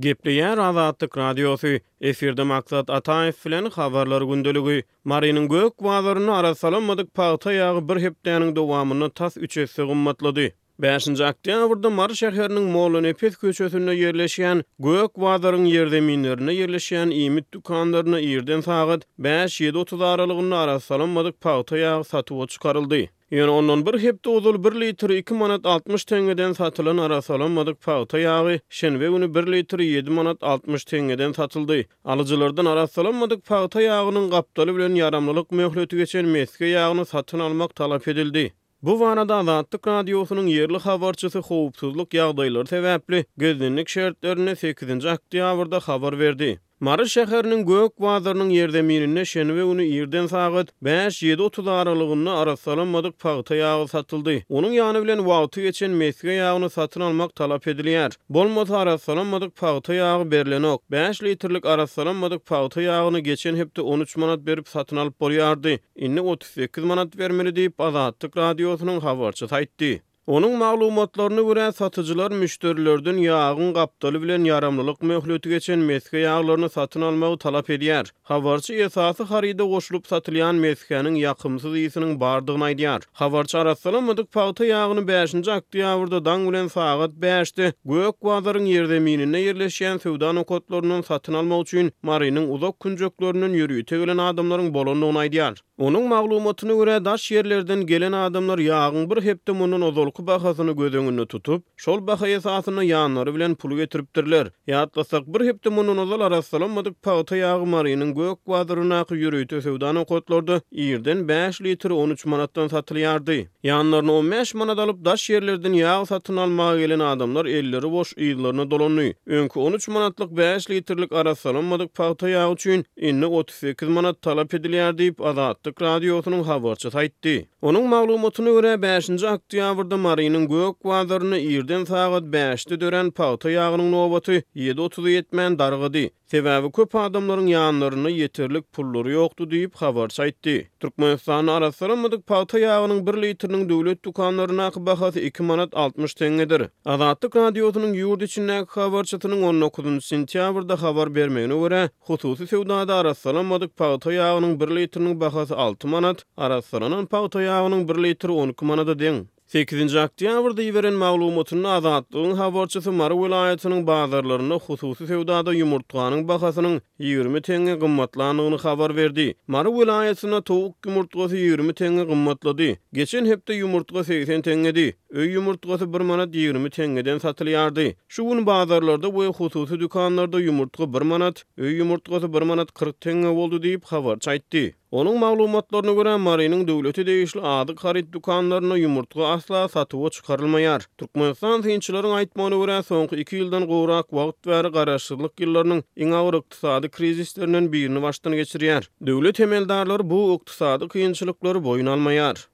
Gepleýär Azatlyk Radiosy, Efirde Maksat Ataýew bilen Habarlar gündeligi. Marynyň gök bazarynda arassalanmadyk pagta ýagy bir hepdäniň dowamynda tas üç esse gymmatlady. Bäşinji oktýabrda Mary şäheriniň Mollanepes köçesinde ýerleşýän Gök bazaryň ýerzeminlerinde ýerleşýän iýmit dükanlarynda irden sagat bäş-ýedi 30 aralygynda arassalanmadyk pagta ýagy satuwa çykaryldy. Ýöne ondan bir hepde ozal bir litri iki manat 60 teňňeden satylan arassalanmadyk pagta ýagy şenbe güni bir litri ýedi manat 60 teňňeden satyldy. Alyjylardan arassalanmadyk pagta ýagynyň gapdaly bilen ýaramlylyk möhleti geçen mesge ýagyny satyn almak talap edildi. Bu barada Azatlyk Radiosynyň ýerli habarçysy howpsuzlyk ýagdaýlary sebäpli gizlinlik şertlerinde sekizinji oktýabrda habar berdi. Mary şäheriniň Gök bazarynyň ýerzemininde şenbe güni irden sagat bäş-ýedi 30 aralygynda arassalanmadyk pagta ýagy satyldy. Onuň ýany bilen wagty geçen mesge ýagyny satyn almak talap edilýär. Bolmasa arassalanmadyk pagta ýagy berlenok. Bäş litrlik arassalanmadyk pagta ýagyny geçen hepde 13 manat berip satyn alyp bolýardy. Indi 38 manat bermeli diýip, Azatlyk Radiosynyň habarçysy aýtdy. Onuň maglumatlaryna görä, satyjylar müşderilerden ýagyň gapdaly bilen ýaramlylyk möhleti geçen mesge ýaglaryny satyn almagy talap edýär. Habarçy esasy haryda goşulyp satylýan mesgäniň ýakymsyz ysynyň bardygyny aýdýar. Habarçy arassalanmadyk pagta ýagyny bäşinji oktýabrda daň bilen sagat bäşde Gök bazaryň ýerzemininde ýerleşýän söwda nokatlaryndan satyn almak üçin Marynyň uzak künjeklerinden ýörite gelen adamlaryň bolandygyny aýdýar. Onuň maglumatyna görä, daş ýerlerden gelen adamlar ýagyň bir hepde mundan ozalky bahasyny göz öňünde tutup, şol baha esasynda ýanlary bilen pul getiripdirler. Ýatlasak, bir hepde mundan ozal arassalanmadyk pagta ýagy Marynyň Gök bazaryndaky ýörite söwda nokatlarda irden bäş litri 13 manatdan satylýardy. Ýanlaryna 15 manat alyp, daş ýerlerden ýag satyn almaga gelen adamlar elleri boş yzlaryna dolandy. Öňki 13 manatlyk bäş litrlik arassalanmadyk pagta ýagy üçin indi 38 manat talap edilýär diýip, Azatlyk Radiosynyň habarçysy aýtdy. Onuň maglumatyna görä, bäşinji oktýabrda Marynyň Gök bazarynda irden sagat bäşde dörän pagta ýagynyň nobaty ýedi otuza ýetmän dargady. Sebäbi köp adamlaryň ýanlarynda ýeterlik pullary ýokdy diýip, habarçy aýtdy. Türkmenistanda arassalanmadyk pagta ýagynyň bir litriniň döwlet dükanlaryndaky bahasy iki manat 60 teňňedir. Azatlyk Radiosynyň ýurt içindäki habarçysynyň on dokuzynjy sentýabrda habar bermegine görä, hususy söwdada arassalanmadyk pagta ýagynyň bir litriniň bahasy alty manat, arassalanan pagta ýagynyň bir litri 12 manada deň. Sekizinji oktýabrda iberen maglumatynda Azatlygyň habarçysy Mary welaýatynyň bazarlarynda hususy söwdada ýumurtganyň bahasynyň 20 teňňe gymmatlandygyny habar berdi. Mary welaýatynda towuk ýumurtgasy 20 teňňe gymmatlady. Geçen hepde ýumurtga 80 teňňedi. Öý ýumurtgasy bir manat 20 teňňeden satylýardy. Şu gün bazarlarda we hususy dükanlarda ýumurtga bir manat, öý ýumurtgasy bir manat 40 teňňe boldy diýip, habarçy aýtdy. Onuň maglumatlaryna görä, Marynyň döwlete degişli azyk haryt dükanlarynda ýumurtga asla satuwa çykarylmaýar. Türkmenistan synçylaryň aýtmagyna görä, soňky iki ýyldan gowrak wagt bäri garaşsyzlyk ýyllarynyň iň agyr ykdysady krizislerinden birini başdan geçirýär. Döwlet emeldarlary bu ykdysady kynçylyklary boýun almaýar.